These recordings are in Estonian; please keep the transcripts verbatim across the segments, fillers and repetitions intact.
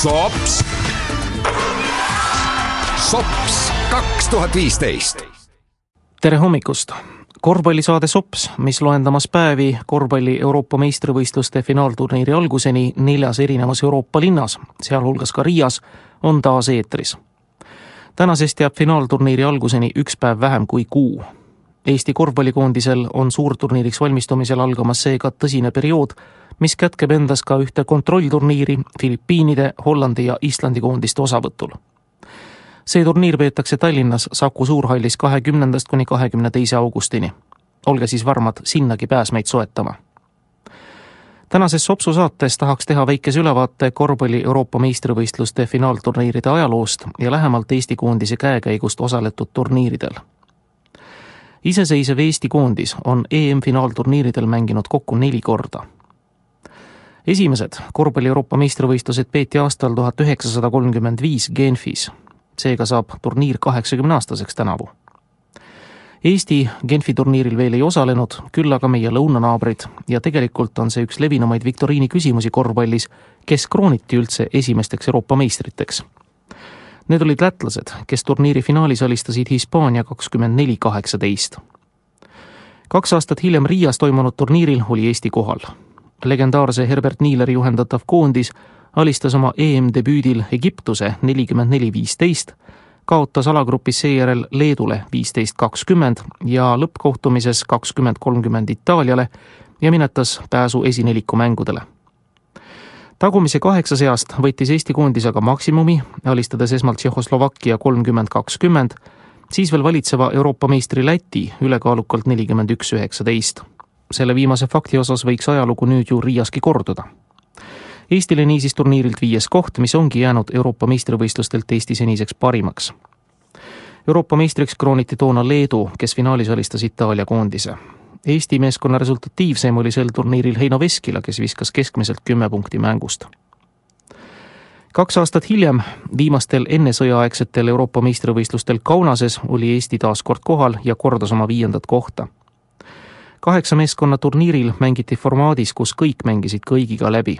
Sops. Sops kaks tuhat viisteist. Tere hommikust! Korvpallisaade Sops, mis loendamas päevi korvpalli Euroopa meistrivõistluste finaalturniiri alguseni neljas erinevas Euroopa linnas, sealhulgas ka Riias, on taas eetris. Tänasest jääb finaalturniiri alguseni üks päev vähem kui kuu. Eesti korvpallikoondisel on suurturniiriks valmistumisel algamas seega tõsine periood, mis kätkeb endas ka ühte kontrollturniiri Filipiinide, Hollandi ja Islandi koondiste osavõtul. See turniir peetakse Tallinnas Saku Suurhallis kahekümnendast kuni kahekümne teise augustini. Olge siis varmad sinnagi pääsmeid soetama. Tänases Sopsu saates tahaks teha väikese ülevaate korvpalli Euroopa meistrivõistluste finaalturniiride ajaloost ja lähemalt Eesti koondise käekäigust osaletud turniiridel. Iseseisev Eesti koondis on E M-finaalturniiridel mänginud kokku neli korda. Esimesed korvpalli Euroopa meistrivõistlused peeti aastal tuhat üheksasada kolmkümmend viis Genfis. Seega saab turniir kaheksakümne aastaseks tänavu. Eesti Genfi turniiril veel ei osalenud, küll aga meie lõunanaabrid ja tegelikult on see üks levinumaid viktoriini küsimusi korvpallis, kes krooniti üldse esimesteks Euroopa meistriteks. Need olid lätlased, kes turniiri finaalis alistasid Hispaania kakskümmend neli kaheksateist. Kaks aastat hiljem Riias toimunud turniiril oli Eesti kohal. Legendaarse Herbert Niileri juhendatav koondis alistas oma E M-debüüdil Egiptuse nelikümmend neli viisteist, kaotas alagrupis seejärel Leedule viisteist kakskümmend ja lõppkohtumises kakskümmend kolmkümmend Itaaliale ja minetas pääsu esineliku mängudele. Tagumise kaheksa seast võttis Eesti koondis aga maksimumi, alistades esmalt Tšehhoslovakkia kolmkümmend kakskümmend, siis veel valitseva Euroopa meistri Läti ülekaalukalt nelikümmend üks üheksateist. Selle viimase fakti osas võiks ajalugu nüüd ju Riiaski korduda. Eestile niisiis turniirilt viies koht, mis ongi jäänud Euroopa meistrivõistlustelt Eesti seniseks parimaks. Euroopa meistriks krooniti toona Leedu, kes finaalis alistas Itaalia koondise. Eesti meeskonna resultatiivsem oli sel turniiril Heino Veskila, kes viskas keskmiselt kümme punkti mängust. Kaks aastat hiljem, viimastel enne sõjaaegsetel Euroopa meistrivõistlustel Kaunases oli Eesti taas kord kohal ja kordas oma viiendat kohta. Kaheksa meeskonna turniiril mängiti formaadis, kus kõik mängisid kõigiga läbi.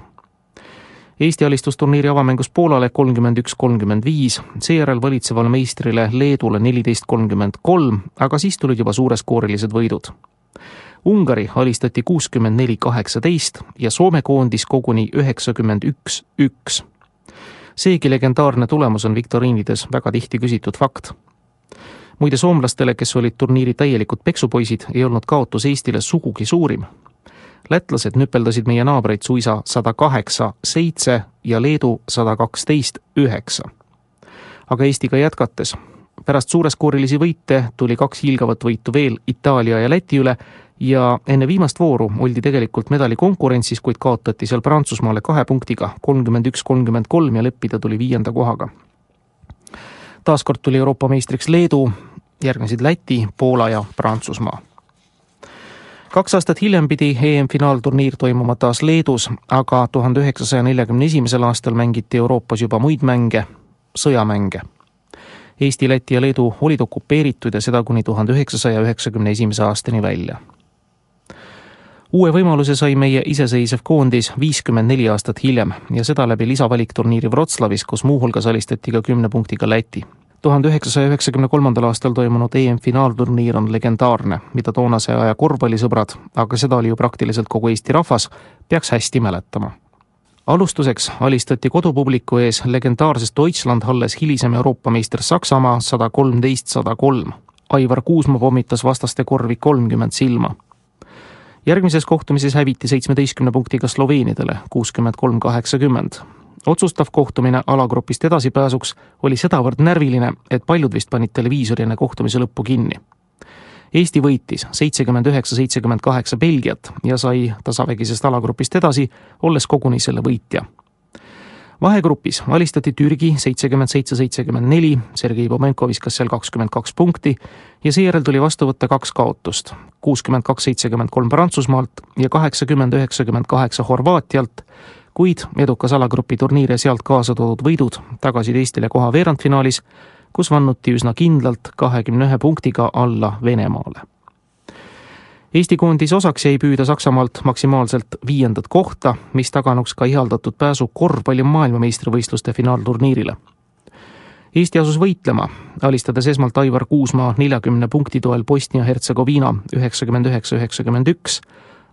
Eesti alistusturniiri avamängus Poolale kolmkümmend üks kolmkümmend viis, seejärel valitsevale meistrile Leedule neliteist kolmkümmend kolm, aga siis tulid juba suureskoorilised võidud. Ungari alistati kuuskümmend neli kaheksateist ja Soome koondis koguni üheksakümmend üks üks. Seegi legendaarne tulemus on viktoriinides väga tihti küsitud fakt. Muide soomlastele, kes olid turniiri täielikud peksupoisid, ei olnud kaotus Eestile sugugi suurim. Lätlased nüpeldasid meie naabreid suisa sada kaheksa seitse ja Leedu sada kaksteist üheksa. Aga Eestiga jätkates. Pärast suureskoorilisi võite tuli kaks hiilgavat võitu veel Itaalia ja Läti üle ja enne viimast vooru oldi tegelikult medali konkurentsis, kuid kaotati seal Prantsusmaale kahe punktiga kolmkümmend üks kolmkümmend kolm ja leppida tuli viienda kohaga. Taaskord tuli Euroopa meistriks Leedu, järgnesid Läti, Poola ja Prantsusmaa. Kaks aastat hiljem pidi E M-finaalturniir toimuma taas Leedus, aga tuhande üheksasaja neljakümne esimesel aastal mängiti Euroopas juba muid mänge, sõjamänge. Eesti, Läti ja Leedu olid okupeeritud ja seda kuni tuhande üheksasaja üheksakümne esimese aastani välja. Uue võimaluse sai meie iseseisev koondis viiskümmend neli aastat hiljem ja seda läbi lisavalikturniiri Wroclawis, kus muuhulgas alistati ka kümne punktiga Läti. tuhande üheksasaja üheksakümne kolmandal aastal toimunud E M-finaalturniir on legendaarne, mida toonase aja korvpallisõbrad, aga seda oli ju praktiliselt kogu Eesti rahvas, peaks hästi mäletama. Alustuseks alistati kodupubliku ees legendaarsest Deutschland-halles hilisem Euroopa meister Saksamaa sada kolmteist sada kolm. Aivar Kuusma pommitas vastaste korvi kolmkümmend silma. Järgmises kohtumises häviti seitsmeteistkümne punktiga Sloveenidele kuuskümmend kolm kaheksakümmend. Otsustav kohtumine alagrupist edasipääsuks oli sedavõrd närviline, et paljud vist panid televiisori enne kohtumise lõppu kinni. Eesti võitis seitsekümmend üheksa seitsekümmend kaheksa Belgiat ja sai tasavägisest alagrupist edasi, olles koguni selle võitja. Vahegrupis alistati Türgi seitsekümmend seitse seitsekümmend neli, Sergei Pomenko viskas seal kakskümmend kaks punkti ja seejärel tuli vastu võtta kaks kaotust, kuuskümmend kaks seitsekümmend kolm Prantsusmaalt ja kaheksakümmend üheksakümmend kaheksa Horvaatialt, kuid edukas alagrupi turniir ja sealt kaasa toodud võidud tagasid Eestile koha veerandfinaalis, kus vannuti üsna kindlalt kahekümne ühe punktiga alla Venemaale. Eesti koondis osaks jäi püüda Saksamaalt maksimaalselt viiendat kohta, mis taganuks ka ihaldatud pääsu korvpalli maailmameistrivõistluste finaalturniirile. Eesti asus võitlema, alistades esmalt Aivar Kuusmaa neljakümne punkti toel Bosnia-Hertsegoviina üheksakümmend üheksa üheksakümmend üks,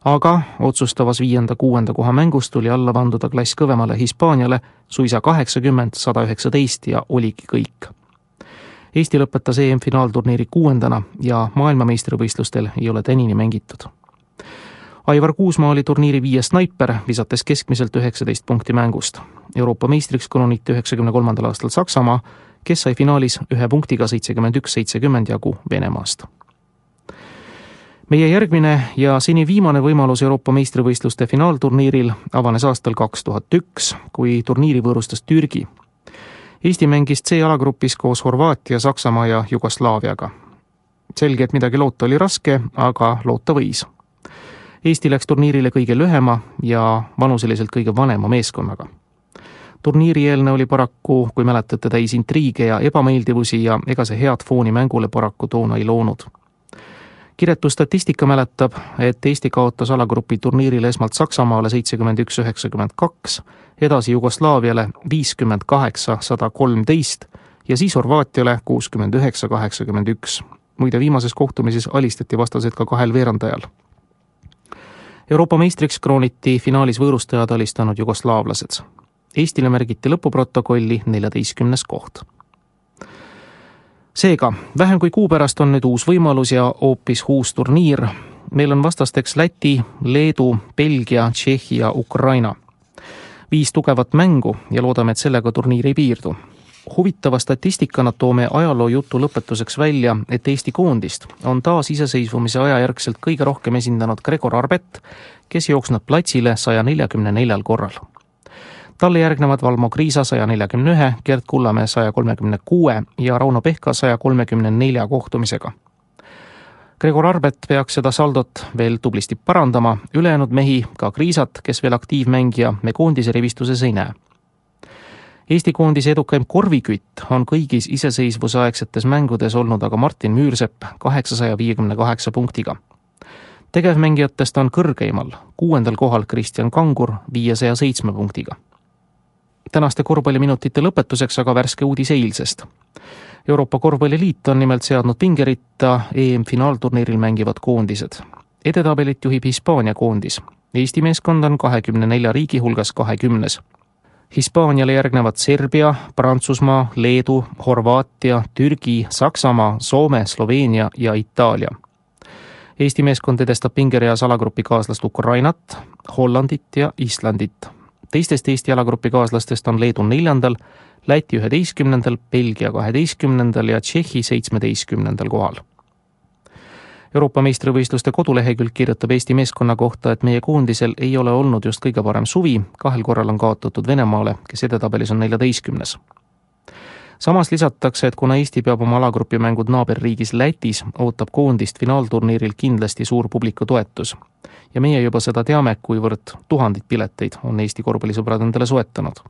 aga otsustavas viienda kuuenda koha mängus tuli alla vanduda klass kõvemale Hispaaniale suisa kaheksakümmend sada üheksateist ja oligi kõik. Eesti lõpetas E M-finaalturniiri kuuendana ja maailmameistrivõistlustel ei ole tänini mängitud. Aivar Kuusmaa oli turniiri viies snaiper, visates keskmiselt üheksateist punkti mängust. Euroopa meistriks krooniti üheksakümne kolmandal aastal Saksamaa, kes sai finaalis ühe punktiga seitsekümmend üks seitsekümmend jagu Venemaast. Meie järgmine ja seni viimane võimalus Euroopa meistrivõistluste finaalturniiril avanes aastal kaks tuhat üks, kui turniiri võõrustas Türgi. Eesti mängis C-alagrupis koos Horvaatia, Saksamaa ja Jugoslaaviaga. Selge, et midagi loota oli raske, aga loota võis. Eesti läks turniirile kõige lühema ja vanuseliselt kõige vanema meeskonnaga. Turniiri eelne oli paraku, kui mäletate, täis intriige ja ebameeldivusi ja ega see head fooni mängule paraku toona ei loonud. Kiretu statistika mäletab, et Eesti kaotas alagrupi turniiril esmalt Saksamaale seitsekümmend üks üheksakümmend kaks, edasi Jugoslaaviale viiskümmend kaheksa sada kolmteist ja siis Horvaatiale kuuskümmend üheksa kaheksakümmend üks. Muide, viimases kohtumises alistati vastased ka kahel veerandajal. Euroopa meistriks krooniti finaalis võõrustajad alistanud jugoslaavlased. Eestile märgiti lõpuprotokolli neljateistkümnes koht. Seega, vähem kui kuu pärast on nüüd uus võimalus ja hoopis uus turniir. Meil on vastasteks Läti, Leedu, Belgia, Tšehhi ja Ukraina. Viis tugevat mängu ja loodame, et sellega turniir ei piirdu. Huvitava statistikana toome ajaloo jutu lõpetuseks välja, et Eesti koondist on taas iseseisvumise ajajärgselt kõige rohkem esindanud Gregor Arbet, kes jooksnud platsile saja neljakümne neljal korral. Talle järgnevad Valmo Kriisa saja neljakümne ühe, Gert Kullamäe saja kolmekümne kuue ja Rauno Pehka saja kolmekümne nelja kohtumisega. Gregor Arbet peaks seda saldot veel tublisti parandama, ülejäänud mehi, ka Kriisat, kes veel aktiivmängija, me koondise rivistuses ei näe. Eesti koondise edukaim korvikütt on kõigis iseseisvuse aegsetes mängudes olnud aga Martin Müürsepp kaheksasaja viiekümne kaheksa punktiga. Tegevmängijatest on kõrgeimal, kuuendal kohal Kristjan Kangur viiesaja seitsme punktiga. Tänaste korvpalliminutite lõpetuseks aga värske uudis eilsest. Euroopa Korvpalliliit on nimelt seadnud pingeritta E M-finaalturniiril mängivad koondised. Edetabelit juhib Hispaania koondis. Eesti meeskond on kahekümne nelja riigi hulgas kahekümnes. Hispaaniale järgnevad Serbia, Prantsusmaa, Leedu, Horvaatia, Türgi, Saksamaa, Soome, Sloveenia ja Itaalia. Eesti meeskond edestab pingereas alagrupi kaaslast Ukrainat, Hollandit ja Islandit. Teistest Eesti alagrupi kaaslastest on Leedu neljandal, Läti üheteistkümnendal, Belgia kaheteistkümnendal ja Tšehhi seitsmeteistkümnendal kohal. Euroopa meistrivõistluste kodulehekülg kirjutab Eesti meeskonna kohta, et meie koondisel ei ole olnud just kõige parem suvi, kahel korral on kaotatud Venemaale, kes edetabelis on neljateistkümnes. Samas lisatakse, et kuna Eesti peab oma alagrupi mängud naaberriigis Lätis, ootab koondist finaalturniiril kindlasti suur publiku toetus. Ja meie juba seda teame, kuivõrd tuhandid pileteid on Eesti korvpallisõbrad endale soetanud.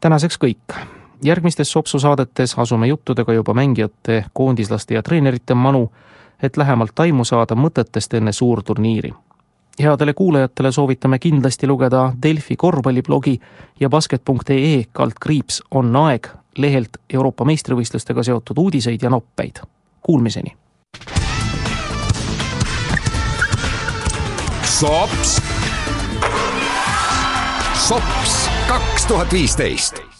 Tänaseks kõik. Järgmistes Sopsu saadetes asume juttudega juba mängijate, koondislaste ja treenerite manu, et lähemalt aimu saada mõtetest enne suurturniiri. Headele kuulajatele soovitame kindlasti lugeda Delfi korvpalliblogi ja basket punkt ee kaldkriips on aeg lehelt Euroopa meistrivõistlustega seotud uudiseid ja noppeid. Kuulmiseni! Sops! Sops kaks tuhat viisteist!